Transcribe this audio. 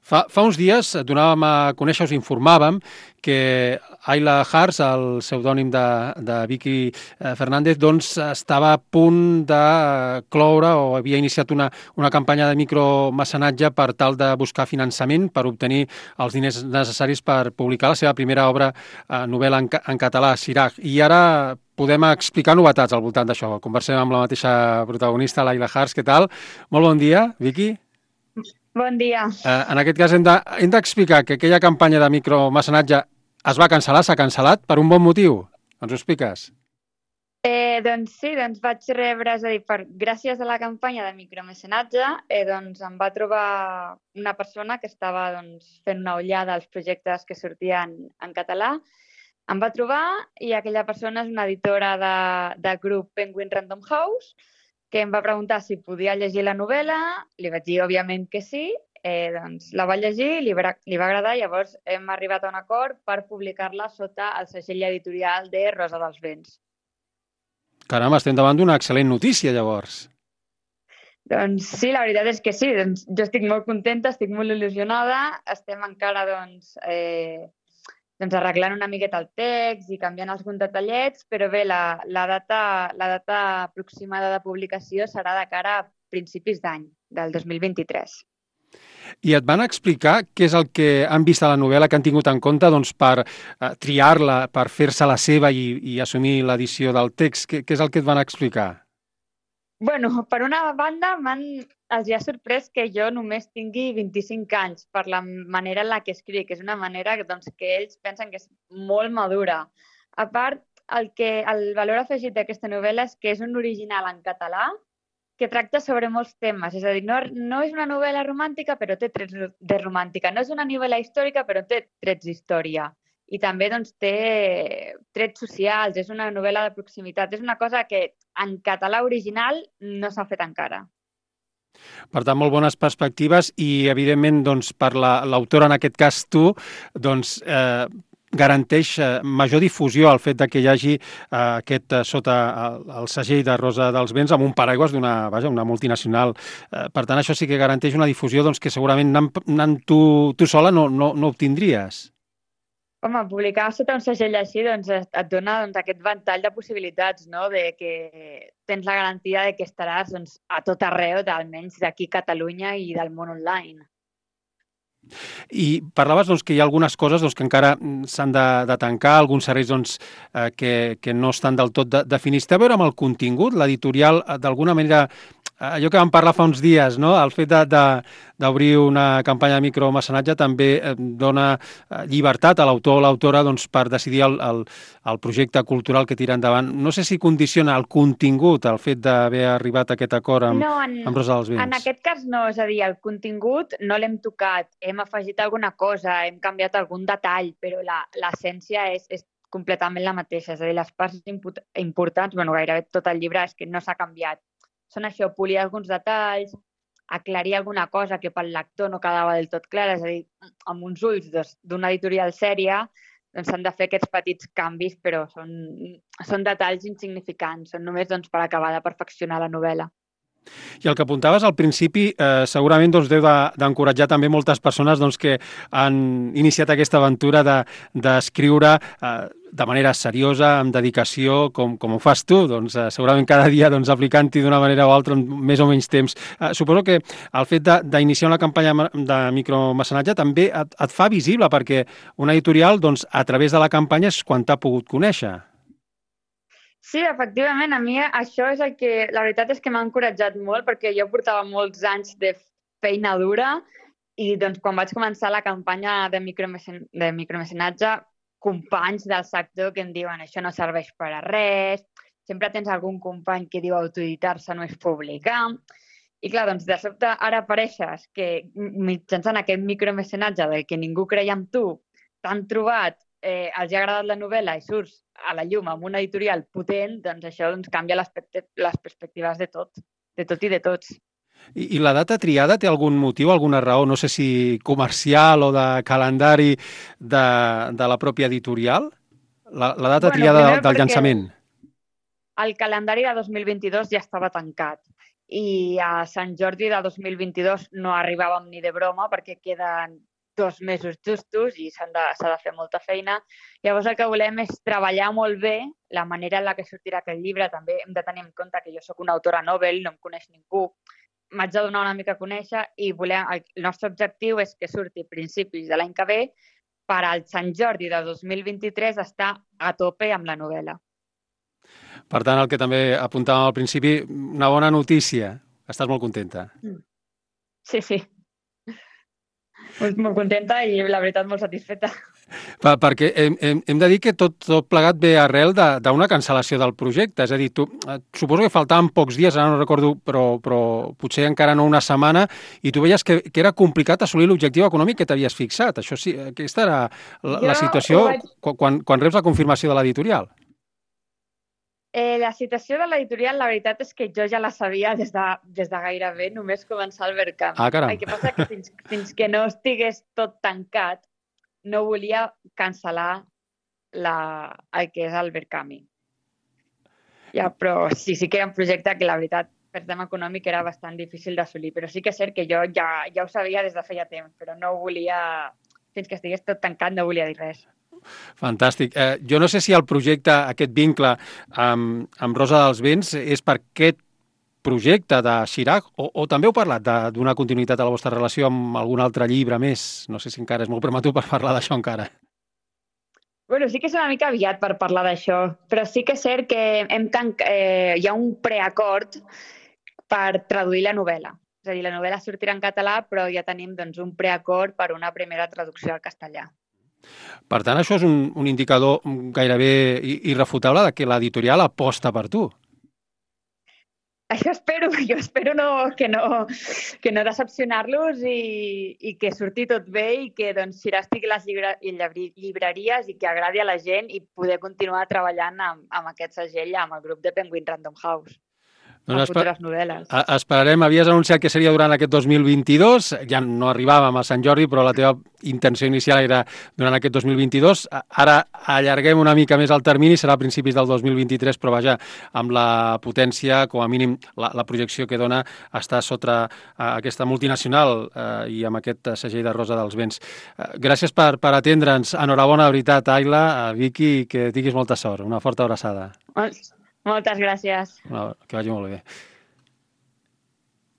Fa uns dies donàvem a conèixer, us informàvem, que Ayla Hars, el pseudònim de Vicky Fernández, doncs estava a punt de cloure o havia iniciat una campanya de micromecenatge per tal de buscar finançament per obtenir els diners necessaris per publicar la seva primera obra novel·la en català, Siraj. I ara podem explicar novetats al voltant d'això. Conversem amb la mateixa protagonista, l'Ayla Hars. Què tal? Molt bon dia, Vicky. Bon dia. En aquest cas hem d'explicar que aquella campanya de micromecenatge es va cancel·lar, s'ha cancel·lat per un bon motiu. Ens ho expliques? Doncs sí, vaig rebre, és a dir, gràcies a la campanya de micromecenatge, doncs em va trobar una persona que estava fent una ullada als projectes que sortien en català. Em va trobar i aquella persona és una editora del grup Penguin Random House, que em va preguntar si podia llegir la novel·la, li vaig dir, òbviament, que sí, doncs la va llegir, li va agradar, llavors hem arribat a un acord per publicar-la sota el segell editorial de Rosa dels Vents. Caram, estem davant d'una excel·lent notícia, llavors. Doncs sí, la veritat és que sí, jo estic molt contenta, estic molt il·lusionada, estem encara arreglant una miqueta el text i canviant alguns detallets, però bé, la data aproximada de publicació serà de cara a principis d'any, del 2023. I et van explicar què és el que han vist a la novel·la, que han tingut en compte per triar-la, per fer-se la seva i assumir l'edició del text? Què és el que et van explicar? Bueno, per una banda, els ha sorprès que jo només tingui 25 anys per la manera en la que escric. És una manera que ells pensen que és molt madura. A part, el valor afegit d'aquesta novel·la és que és un original en català que tracta sobre molts temes. És a dir, no és una novel·la romàntica, però té trets de romàntica. No és una novel·la històrica, però té trets d'història. I també té trets socials, és una novel·la de proximitat. És una cosa que en català original no s'ha fet encara. Per tant, molt bones perspectives i, evidentment, per l'autora, en aquest cas tu, garanteix major difusió el fet que hi hagi sota el segell de Rosa dels Vents amb un paraigües una multinacional. Per tant, això sí que garanteix una difusió que segurament anant tu sola no obtindries. Home, publicar sota un segell així et dona aquest ventall de possibilitats, no? De que tens la garantia de que estaràs a tot arreu, almenys d'aquí a Catalunya i del món online. I parlaves que hi ha algunes coses que encara s'han de tancar, alguns serveis que no estan del tot definits. Té a veure amb el contingut? L'editorial, d'alguna manera, allò que vam parlar fa uns dies, no? El fet d'obrir una campanya de micromecenatge també dona llibertat a l'autor o l'autora per decidir el projecte cultural que tira endavant. No sé si condiciona el contingut el fet d'haver arribat a aquest acord amb Rosa dels Vents. En aquest cas no, és a dir, el contingut no l'hem tocat, hem afegit alguna cosa, hem canviat algun detall, però l'essència és completament la mateixa. És a dir, les parts importants, gairebé tot el llibre és que no s'ha canviat. Són això, polir alguns detalls, aclarir alguna cosa que pel lector no quedava del tot clara, és a dir, amb uns ulls d'una editorial sèria s'han de fer aquests petits canvis, però són detalls insignificants, són només per acabar de perfeccionar la novel·la. I el que apuntaves al principi segurament deu d'encoratjar també moltes persones que han iniciat aquesta aventura d'escriure de manera seriosa, amb dedicació, com ho fas tu, segurament cada dia aplicant-hi d'una manera o altra amb més o menys temps. Suposo que el fet d'iniciar una campanya de micromecenatge també et fa visible, perquè una editorial, a través de la campanya, és quan t'ha pogut conèixer. Sí, efectivament, a mi això és el que, la veritat és que m'ha encoratjat molt, perquè jo portava molts anys de feina dura i quan vaig començar la campanya de micromecenatge, companys del sector que em diuen això no serveix per a res, sempre tens algun company que diu autoeditar-se no és publicar, i clar, de sobte ara apareixes que mitjançant aquest micromecenatge del que ningú creia en tu, t'han trobat, els ha agradat la novel·la i surts a la llum amb una editorial potent, això canvia les perspectives de tot i de tots. I la data triada té algun motiu, alguna raó, no sé si comercial o de calendari de la pròpia editorial? La data triada del llançament. El calendari de 2022 ja estava tancat i a Sant Jordi de 2022 no arribàvem ni de broma perquè queden 2 mesos justos i s'ha de fer molta feina. Llavors el que volem és treballar molt bé la manera en la que sortirà aquest llibre. També hem de tenir en compte que jo sóc una autora novel, no em coneix ningú, m'haig de donar una mica a conèixer i el nostre objectiu és que surti a principis de l'any que ve per al Sant Jordi de 2023 estar a tope amb la novel·la. Per tant, el que també apuntàvem al principi, una bona notícia. Estàs molt contenta. Sí, sí. Molt contenta i, la veritat, molt satisfeta. Perquè hem de dir que tot plegat ve arrel d'una cancel·lació del projecte. És a dir, suposo que faltaven pocs dies, ara no recordo, però potser encara no una setmana, i tu veies que era complicat assolir l'objectiu econòmic que t'havies fixat. Això sí, aquesta era la situació quan reps la confirmació de l'editorial. La situació de l'editorial, la veritat és que jo ja la sabia des de gairebé només començar el Verkami. Caram. El que passa que fins que no estigués tot tancat, no volia cancel·lar el que és el Verkami. Ja, però sí que era un projecte que la veritat per tema econòmic era bastant difícil d'assolir, però sí que és cert que jo ja ho sabia des de feia temps, però no volia, fins que estigués tot tancat, no volia dir res. Fantàstic. Jo no sé si el projecte, aquest vincle amb Rosa dels Vents, és per aquest projecte de Chirac o també heu parlat de donar continuïtat a la vostra relació amb algun altre llibre més? No sé si encara és molt prematur per parlar d'això encara. Bueno, sí que és una mica aviat per parlar d'això, però sí que és cert que hi ha un preacord per traduir la novel·la. És a dir, la novel·la sortirà en català, però ja tenim un preacord per una primera traducció al castellà. Per tant, això és un indicador gairebé irrefutable de que l'editorial aposta per tu. Això espero. Jo espero que no decepcionar-los i que surti tot bé i que Chirac estigui a les llibreries i que agradi a la gent i poder continuar treballant amb aquest segell, amb el grup de Penguin Random House. Doncs futures novel·les. Esperarem. Havies anunciat que seria durant aquest 2022. Ja no arribàvem a Sant Jordi, però la teva intenció inicial era durant aquest 2022. Ara allarguem una mica més el termini, serà a principis del 2023, però vaja, amb la potència, com a mínim la projecció que dona, està sota aquesta multinacional i amb aquest segell de Rosa dels Vents. Gràcies per atendre'ns. Enhorabona, de veritat, Ayla, Vicky, que tinguis molta sort. Una forta abraçada. Moltes gràcies. Que vagi molt bé.